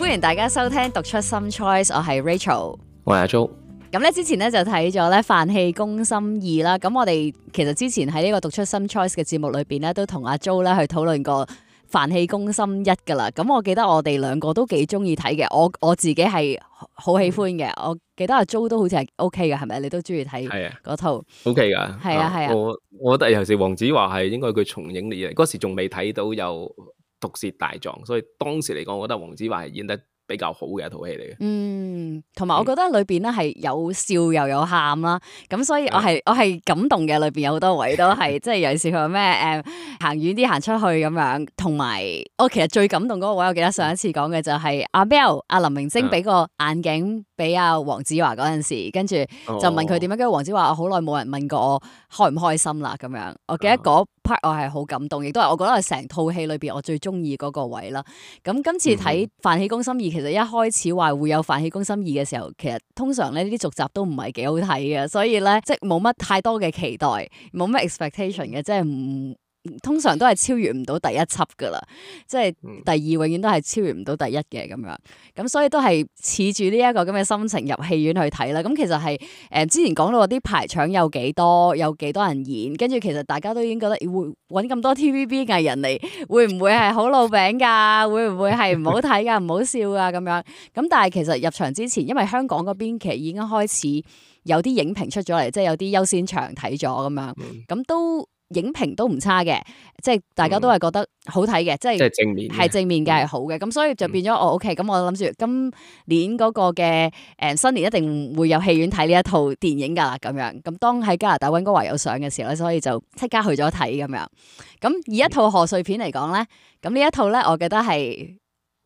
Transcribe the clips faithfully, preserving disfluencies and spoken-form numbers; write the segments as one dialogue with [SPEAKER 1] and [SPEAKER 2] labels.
[SPEAKER 1] 歡迎大家收聽讀出心 choice， 我係 Rachel，
[SPEAKER 2] 我係阿 Jo。
[SPEAKER 1] 咁咧之前咧就睇咗咧飯戲攻心二啦，咁我哋其實之前喺呢個讀出心 choice 嘅節目裏邊咧，都同阿 Jo 咧去討論過飯戲攻心一噶啦。咁我記得我哋兩個都幾中意睇嘅，我我自己係好喜歡嘅。我記得阿 Jo 都好似係 OK 嘅，係咪？你都中意睇嗰套
[SPEAKER 2] OK 噶？
[SPEAKER 1] 係啊係啊。
[SPEAKER 2] 我我覺得尤其是黃子華係應該佢重映嚟嘅，嗰時仲未睇到有毒舌大狀，所以當時嚟講，我覺得黃子華係演得比較好嘅一套戲嚟嘅。嗯，
[SPEAKER 1] 同埋我覺得裏邊咧係有笑又有喊啦，咁所以我係、嗯、我係感動嘅，裏邊有好多位都係即係尤其是佢話咩誒行遠啲行出去咁樣，同埋我其實最感動嗰個位，我記得上一次講嘅就係阿 Bell 阿林明禎俾個眼鏡俾阿黃子華嗰陣時，跟住就問佢點樣，跟住黃子華我好耐冇人問過我開唔開心啦咁樣，我記得嗰 part 我係好感動，亦都係我覺得係成套戲裏邊我最中意嗰個位啦。咁今次睇《飯戲攻心二》，其實一開始話會有《飯戲攻心二》嘅時候，其實通常咧呢啲續集都唔係幾好睇嘅，所以咧即係冇乜太多嘅期待，冇乜 expectation 嘅，即係唔通常都係超越唔到第一輯噶啦，即係第二永遠都係超越唔到第一嘅咁樣，咁所以都係恃住呢一個咁嘅心情入戲院去睇啦。咁其實係誒、呃、之前講到啲排場有幾多，有幾多人演，跟住其實大家都已經覺得會揾咁多 T V B 藝人嚟，會唔會係好老餅㗎？會唔會係唔好睇㗎？唔好笑㗎咁樣？咁但係其實入場之前，因為香港嗰邊其實已經開始有啲影評出咗嚟，即係有啲優先場睇咗咁樣，咁都。影評都唔差嘅，即係大家都係覺得好睇嘅，嗯、即係係正面，係正面嘅係好嘅，咁、嗯、所以就變咗我 OK，咁我諗住今年嗰個嘅誒新年一定會有戲院睇呢一套電影噶啦，咁樣，咁當喺加拿大溫哥華有上嘅時候咧，所以就即刻去咗睇咁樣。咁以一套賀歲片嚟講咧，咁呢一套咧，我覺得係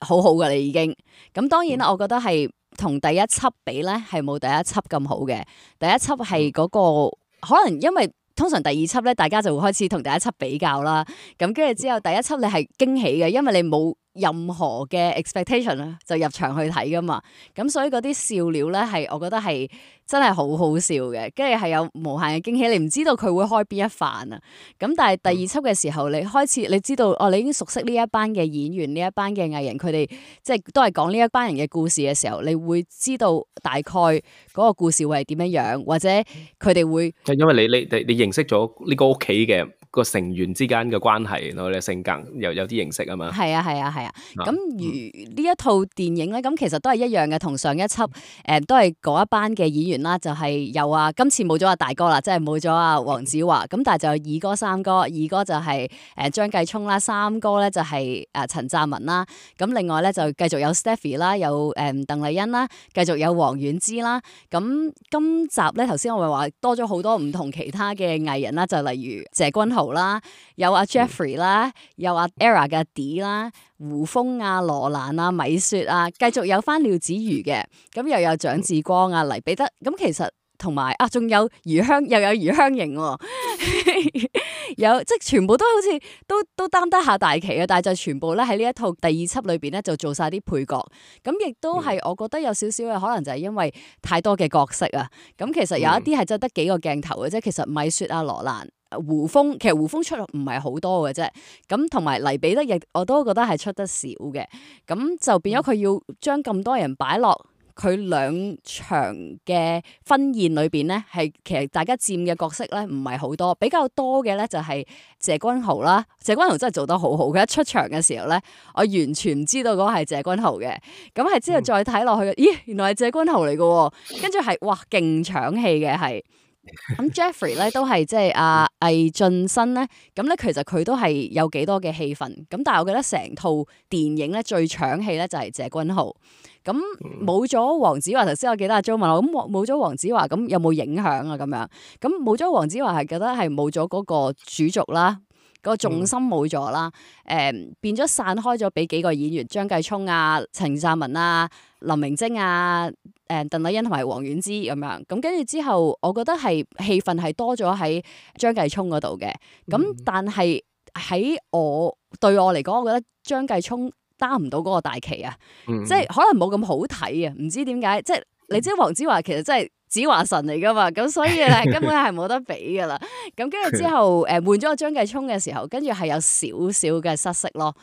[SPEAKER 1] 好好噶啦已經。咁當然啦，我覺得係同第一輯比咧，係冇第一輯咁好嘅。第一輯係嗰個可能因為。通常第二輯咧，大家就會開始同第一輯比較啦。咁跟住之後，第一輯你係驚喜嘅，因為你冇任何嘅 expectation 啦，就入場去睇噶嘛。咁所以嗰啲笑料咧，係我覺得係真係好好笑嘅。跟住係有無限嘅驚喜，你唔知道佢會開邊一範啊。咁但係第二輯嘅時候，你開始你知道哦，你已經熟悉呢一班嘅演員、呢一班嘅藝人，佢哋即係都係講呢一班人嘅故事嘅時候，你會知道大概嗰個故事會係點樣樣，或者佢哋會
[SPEAKER 2] 因為你你你你認識咗呢個屋企嘅個成員之間嘅關係，我哋性格又有啲認識啊嘛。
[SPEAKER 1] 係啊係啊係啊。咁、啊、如呢一套電影咧，咁其實都係一樣嘅，同上一輯誒、呃、都係嗰一班嘅演員啦，就係、是、有啊，今次冇咗阿大哥啦，即係冇咗阿黃子華，咁但係就有二哥三哥，二哥就係誒張繼聰啦，三哥咧就係誒陳湛文啦，咁另外咧就繼續有 Stephy 啦，有誒鄧麗欣啦，繼續有黃婉芝啦。咁今集咧頭先我咪話多咗好多唔同其他嘅藝人啦，就例如謝君豪啦，有阿 Jeffrey 啦，有阿 Era 嘅 D 啦，胡楓啊、羅蘭啊、米雪啊，繼續有翻廖子妤嘅，咁又有蔣志光啊、黎彼得，咁其實同埋啊，仲有余香，又有余香凝、哦，有即係全部都好似都都擔得下大旗啊！但係就全部咧喺呢一套第二輯裏邊咧就做晒啲配角，咁亦都係我覺得有少少嘅可能就係因為太多嘅角色啊，咁其實有一啲係真係得幾個鏡頭嘅啫，其實米雪啊、羅蘭。胡楓其實胡楓出唔係好多嘅啫，咁同埋黎彼得亦我都覺得係出得少嘅，咁就變咗佢要將咁多人擺落佢兩場嘅婚宴裏邊咧，係其實大家佔嘅角色咧唔係好多，比較多嘅咧就係謝君豪啦，謝君豪真係做得好好，佢一出場嘅時候咧，我完全唔知道嗰個係謝君豪嘅，咁係之後再睇落去，嗯、咦原來係謝君豪嚟嘅，跟住係哇勁搶戲嘅係。咁 Jeffrey 咧都係即係阿魏俊新咧，咁咧其實佢都係有幾多嘅戲份，咁但係我覺得成套電影咧最搶戲咧就係謝君豪，咁冇咗黃子華，頭先我記得阿 Jo 問我，咁冇咗黃子華咁有冇影響啊？咁樣，咁冇咗黃子華係覺得係冇咗嗰個主軸啦。個重心冇咗啦，誒、嗯、變咗散開咗俾幾個演員，張繼聰啊、陳湛文啊、林明禎啊、誒、呃、鄧麗欣同埋黃婉芝咁樣，咁跟住之後，我覺得係戲份係多咗喺張繼聰嗰度嘅，咁、嗯、但係喺我對我嚟講，我覺得張繼聰擔唔到嗰個大旗啊，嗯、即係可能冇咁好睇啊，唔知點解，即係你知黃子華其實真係。子華神嚟噶嘛，咁所以咧根本係冇得比噶啦。咁跟住之後，誒換咗個張繼聰嘅時候，跟住係有少少嘅失色咯。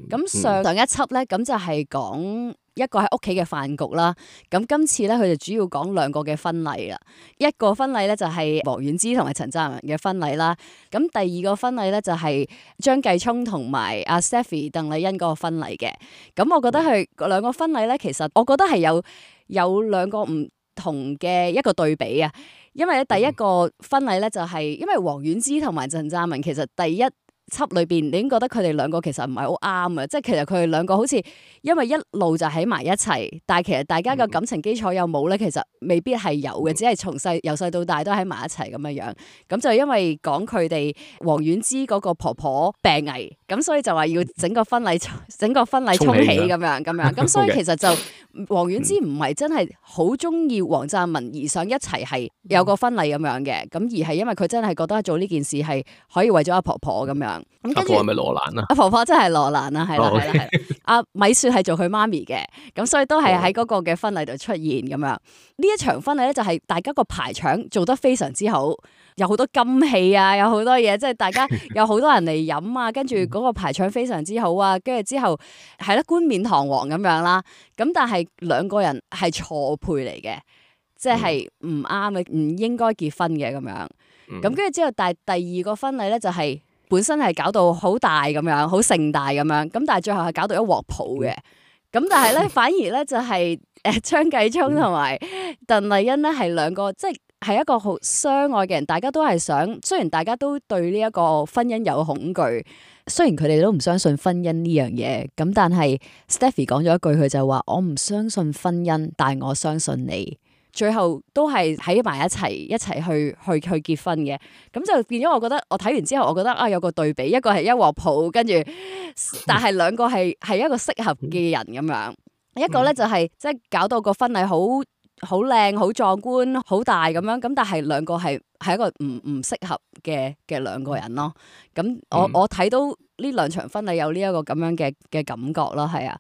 [SPEAKER 1] 咁、嗯、上上一輯咧，咁就係講一個喺屋企嘅飯局啦。咁今次咧，佢就主要講兩個嘅婚禮啦。一個婚禮咧就係王菀之同埋陳湛文嘅婚禮啦。咁第二個婚禮咧就係張繼聰同埋阿 Stephy 鄧麗欣嗰個婚禮嘅。咁我覺得佢兩個婚禮咧，其實我覺得係有有兩個唔同嘅一個對比啊。因為咧第一個婚禮咧就係因為王菀之同埋陳湛文其實第一輯裏邊，你已經覺得佢哋兩個其實唔係好啱啊！即係其實佢哋兩個好似因為一路就喺埋一齊，但係其實大家嘅感情基礎有冇咧？其實未必係有嘅，只係從細由細到大都喺埋一齊咁樣樣。咁就因為講佢哋王菀之嗰個婆婆病危，咁所以就話要整個婚禮整個婚禮沖喜咁樣咁樣。咁所以其實就王菀之唔係真係好中意黃湛文而想一齊係有個婚禮咁樣嘅，咁而係因為佢真係覺得做呢件事係可以為咗阿婆婆咁樣。咁跟住
[SPEAKER 2] 係咪羅蘭啊？
[SPEAKER 1] 阿婆婆真係羅蘭啊，係啦係啦係啦。阿米雪係做佢媽咪嘅，咁所以都係喺嗰個嘅婚禮度出現咁樣。呢一場婚禮咧就係大家個排場做得非常之好，有好多金器啊，有好多嘢，即係大家有好多人嚟飲啊，跟住嗰個排場非常之好啊，跟住之後係啦冠冕堂皇咁樣啦。咁但係兩個人係錯配嚟嘅，即係唔啱嘅，唔應該結婚嘅咁樣。咁跟住之後，但係第二個婚禮咧就係、是。本身係搞到好大咁樣，好盛大咁樣，咁但係最後係搞到一鑊泡嘅。咁但係咧，反而咧就係誒張繼聰同埋鄧麗欣咧係兩個，即係係一個好相愛嘅人。大家都係想，雖然大家都對呢一個婚姻有恐懼，雖然佢哋都唔相信婚姻呢樣嘢，咁但係 Stephy 講咗一句，佢就話：我唔相信婚姻，但係我相信你。最後都係喺埋一齊，一齊去去去結婚嘅，咁就變咗。我覺得我睇完之後，我覺得啊有個對比，一個係一鑊泡，跟住，但係兩個係係一個適合嘅人咁樣，一個咧就係即係搞到個婚禮好好靚、好壯觀、好大咁樣，咁但係兩個係係一個唔唔適合嘅嘅兩個人咯。咁我我睇到呢兩場婚禮有呢一個咁樣嘅嘅感覺咯，係啊。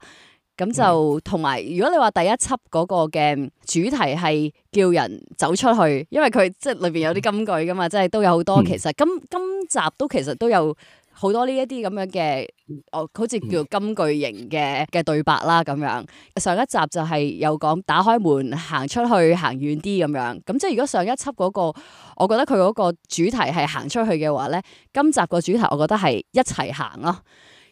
[SPEAKER 1] 咁就同埋，如果你話第一輯嗰個嘅主題係叫人走出去，因為佢即係裏邊有啲金句噶嘛，即係都有好多。其實今今集都其實都有好多呢一啲咁樣嘅，哦，好似叫金句型嘅嘅對白啦咁樣。上一集就係有講打開門行出去，行遠啲咁樣。咁即係如果上一輯嗰個，我覺得佢嗰個主題係行出去嘅話咧，今集個主題我覺得係一齊行咯，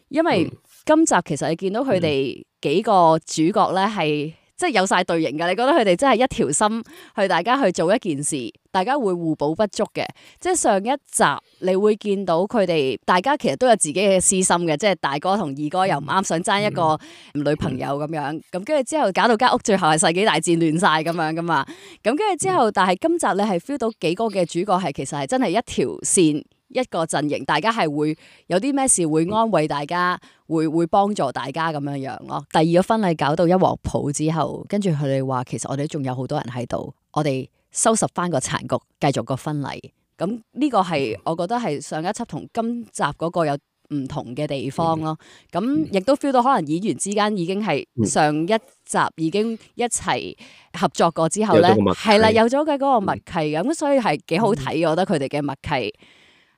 [SPEAKER 1] 因為今集其實你見到佢哋幾個主角咧係即係有晒隊形㗎，你覺得佢哋真係一條心去大家去做一件事，大家會互補不足嘅。即係上一集你會見到佢哋大家其實都有自己嘅私心嘅，即係大哥同二哥又唔啱，想爭一個女朋友咁樣，咁跟住之後搞到間屋最後係世紀大戰亂晒咁樣噶嘛。咁跟住之後，但係今集你係 feel 到幾個嘅主角係其實係真係一條線。一個陣營，大家係會有啲咩事會安慰大家，會會幫助大家咁樣樣咯。第二個婚禮搞到一鑊泡之後，跟住佢哋話其實我哋仲有好多人喺度，我哋收拾翻個殘局，繼續個婚禮。咁呢個係我覺得係上一輯同今集嗰個有唔同嘅地方咯。咁亦都 feel 到可能演員之間已經係上一集已經一齊合作過之後咧，係啦，有咗嘅嗰個默契咁，嗯、所以係幾好睇。我覺得佢哋嘅默契。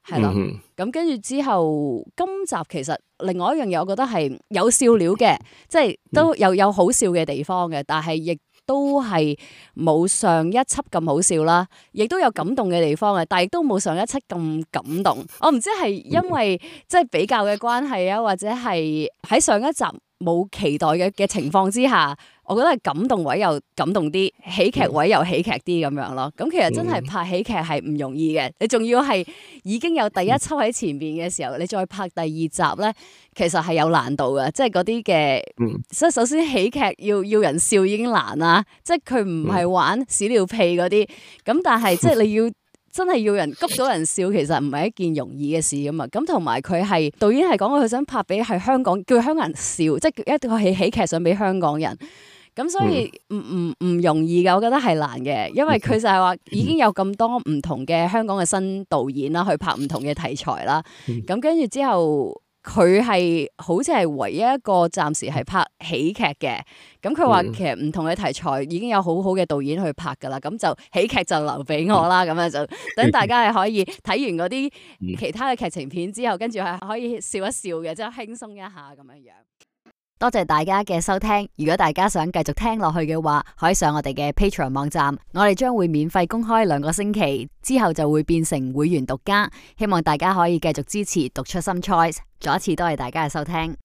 [SPEAKER 1] 係咯，咁跟住之後，今集其實另外一樣嘢，我覺得係有笑料嘅，即係都有有好笑嘅地方嘅，但係亦都係冇上一輯咁好笑啦，亦都有感動嘅地方嘅，但係亦都冇上一輯咁感動。我唔知係因為即係比較嘅關係啊，或者係喺上一集冇期待嘅嘅情況之下。我覺得係感動位又感動啲，喜劇位又喜劇啲咁樣咯。咁其實真係拍喜劇係唔容易嘅，你仲要係已經有第一輯喺前邊嘅時候，你再拍第二集咧，其實係有難度嘅。即係嗰啲嘅，即係首先喜劇要要人笑已經難啦，即係佢唔係玩屎尿屁嗰啲。咁但係即係你要真係要人谷到人笑，其實唔係一件容易嘅事㗎嘛。咁同埋佢係導演係講佢想拍俾係香港，叫香港人笑，即係一個喜喜劇想俾香港人。咁所以唔唔唔容易嘅，我覺得係難嘅，因為佢就係話已經有咁多唔同嘅香港嘅新導演啦，去拍唔同嘅題材啦。咁跟住之後，佢係好似係唯一一個暫時係拍喜劇嘅。咁佢話其實唔同嘅題材已經有好好嘅導演去拍噶啦，咁就喜劇就留俾我啦。咁樣就等大家係可以睇完嗰啲其他嘅劇情片之後，跟住係可以笑一笑嘅，即係輕鬆一下咁樣樣。多謝大家嘅收聽。如果大家想繼續聽落去嘅話，可以上我哋嘅 Patreon 網站，我哋將會免費公開兩個星期，之後就會變成會員獨家。希望大家可以繼續支持讀出 Some Choice。再一次多謝大家嘅收聽。